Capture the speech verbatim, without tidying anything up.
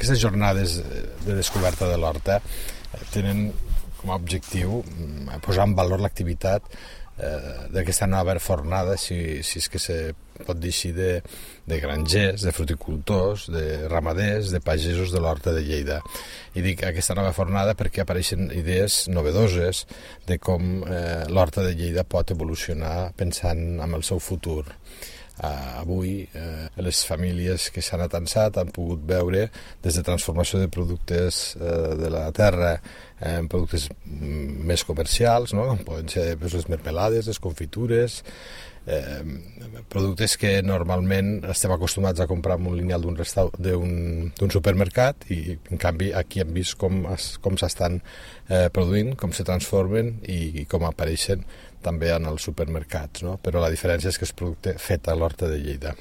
aquestes jornades de descoberta de l'horta tenen com a objectiu posar en valor l'activitat eh, d'aquesta nova fornada, si, si és que se pot dir així, de, de grangers, de fruticultors, de ramaders, de pagesos de l'Horta de Lleida. I dic aquesta nova fornada perquè apareixen idees novedoses de com eh, l'Horta de Lleida pot evolucionar pensant en el seu futur. Uh, avui uh, les famílies que s'han atansat han pogut veure des de transformació de productes uh, de la terra en productes més comercials, no? Com poden ser pues, les mermelades, les confitures, eh, productes que normalment estem acostumats a comprar en un lineal d'un restau- d'un, d'un supermercat i en canvi aquí hem vist com, es, com s'estan eh, produint, com se transformen i, i com apareixen també en els supermercats, no? Però la diferència és que és producte fet a l'Horta de Lleida.